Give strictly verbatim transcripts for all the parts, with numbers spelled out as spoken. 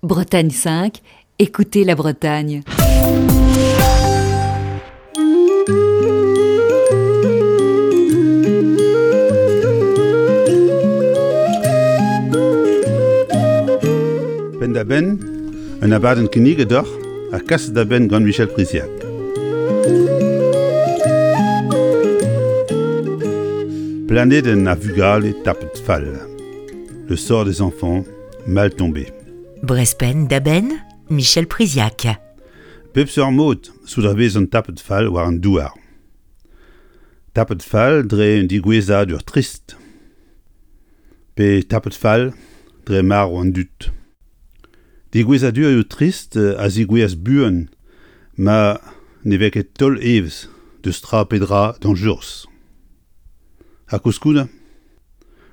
Bretagne cinq, écoutez la Bretagne. Penn-da-benn, un abadenn kinniget deoc'h ha kaset da benn gant Michel Priziac. Planedenn ar vugale tapet fall. Le sort des enfants mal tombé. Brezh Penn-da-Benn, Michel Priziac. Bep seurt mod zo da vezañ tapet fall war an douar. Tapet fall dre un digouezadur trist. Pe tapet fall dre marv an dud. Digouezadurioù trist a zigouez buan ma ne vez ket taol evezh deus tra pe dra dañjerus. Ha koulskoude,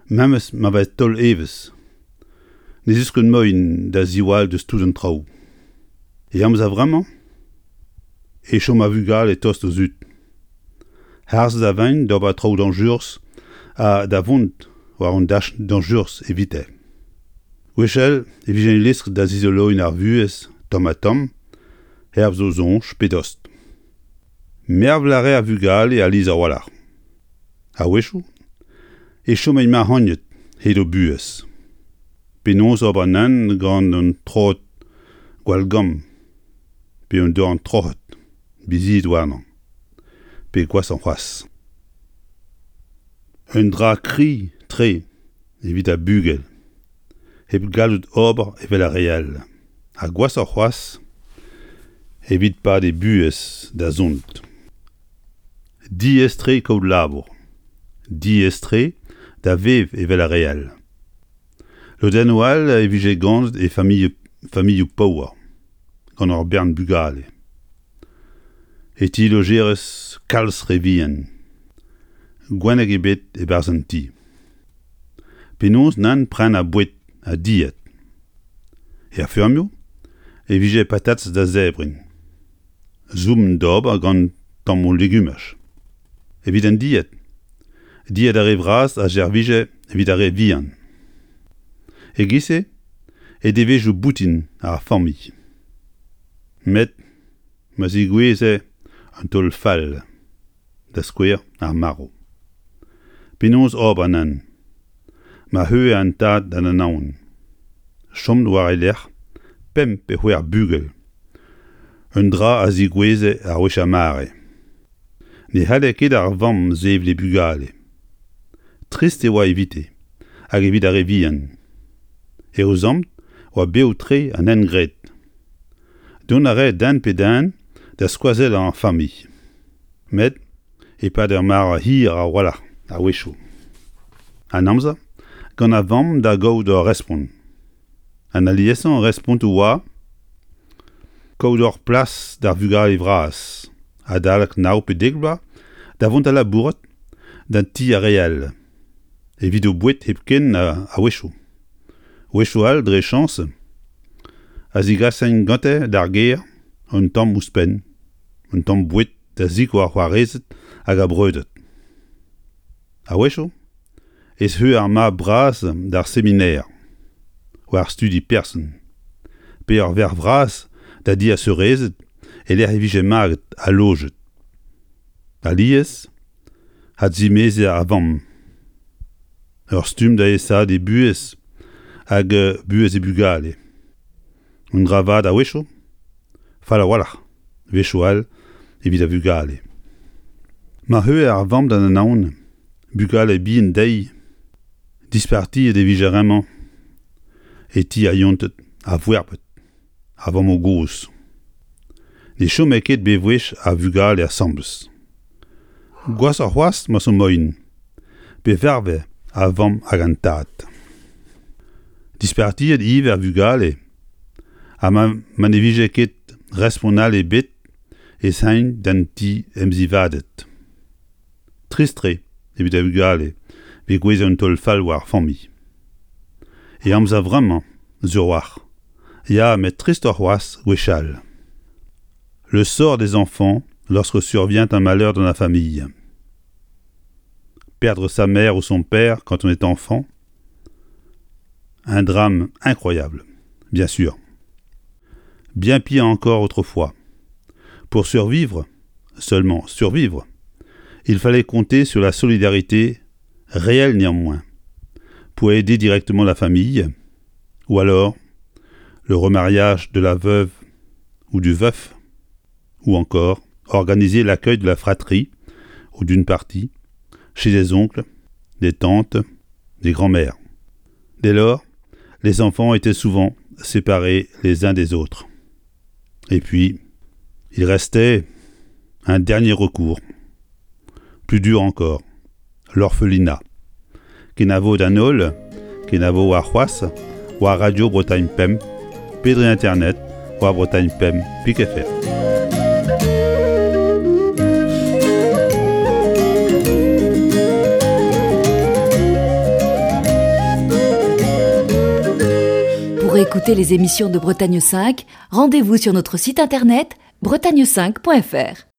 memes ma vez taol evezh, ne zeus ket moaien da ziwall deus tout an traoù. E amzer vremañ e chom ar vugale tost o zud. Harzet a vent d'ober traoù dañjerus ha da vont war an dachenn dañjerus evite. Gwechall e vije lestr da zizoloiñ ar vuhez tamm-ha-tamm, hervez o soñj pe dost. Mervel a rae ar vugale alies a-walc'h. A-wechoù e chom mac'hagnet hed o buhez. Penaos ober nann gant un troad gwall gamm pe un dorn troc'het, bizied warnañ, pe gwashoc'h c'hoazh. Un dra kriz-tre evit ar bugel, hep gallout ober evel ar re all. Ha gwashoc'h c'hoazh evit pad e buhez da zont. Diaes-tre kaout labour. Diaes-tre da vev evel ar re all. Lodennoù all e vije ganet e familh, familhoù paour, gant ur bern bugale. E ti lojerez kalz re vihan. Gwenneg ebet e-barzh an ti. Penaos nann prenañ boued ha dilhad. Er feurmioù e vije patatez da zebriñ. Soubenn d'ober gant tammoù legumaj. Evit an dilhad, dilhad ar re vras a servije evit ar re vihan. E-giz-se e devezhioù boutin ar familh. Met ma zigoueze an taol fall, da skouer ar marv. Penaos ober nann? Ma c'heuer an tad d'an anaon. Chom war e lerc'h pemp pe c'hwec'h bugel. Un dra a zigoueze ar wech ar mare. Ne c'halle ket ar vamm sevel he bugale. Trist e oa evite, hag evit ar re vihan. E o zamm oa bev-tre an hent graet. Dont a rae den pe den da skoazellañ ar familh. Met e-pad ur mare hir a-walc'h a-wechoù. An amzer gant ar vamm da gaout ur respont. An aliesañ respontoù oa kaout ur plas d'ar vugale vras, adalek nav pe dek vloaz, da vont da labourat d'an ti ar re all. Evit o boued hepken a-wechoù. Wechoù all dre chañs a zigasaint gante d'ar gêr un tamm ouzhpenn, un tamm boued da sikour ar c'hoarezed hag ar breudeur. A-wechoù ez eu ar mab bras d'ar seminer, war studi person, pe ar verc'h vras da di ar seurezed e-lec'h e vije maget ha lojet. Alies, adzimeze ar vamm. Ur stumm da aesaat e buhez hag buhez e bugale. Un dra vat a-wechoù, fall a-walc'h, wechoù all evit ar vugale. Ma c'heuer ar vamm d'an anaon, bugale bihan dezhi, dispartiet e vije remañ e ti ar yonted, ar voerbed, ar vamm-gozh. Ne chome ket bewech ar vugale asambles. Gwashoc'h c'hoazh ma zo moaien, pe varve ar vamm hag an tad. Dispartiet ivez ar vugale, ha ma, ma ne vije ket respont all ebet ez aint d'an ti emzivaded. Trist-tre evit ar vugale pe gouez un taol fall war ar familh. E amzer vremañ, sur a-walc'h. Ya, met tristoc'h c'hoazh gwechall. Le sort des enfants lorsque survient un malheur dans la famille. Perdre sa mère ou son père quand on est enfant, un drame incroyable, bien sûr. Bien pire encore autrefois. Pour survivre, seulement survivre, il fallait compter sur la solidarité, réelle néanmoins, pour aider directement la famille, ou alors le remariage de la veuve ou du veuf, ou encore organiser l'accueil de la fratrie, ou d'une partie, chez des oncles, des tantes, des grands-mères. Dès lors, les enfants étaient souvent séparés les uns des autres. Et puis, il restait un dernier recours, plus dur encore, l'orphelinat. Kenavo d'an holl, kenavo warc'hoazh, war Radio Bretagne Pemp, pe dre internet, war Bretagne Pemp pik F R. Pour écouter les émissions de Bretagne cinq, rendez-vous sur notre site internet bretagne cinq point F R.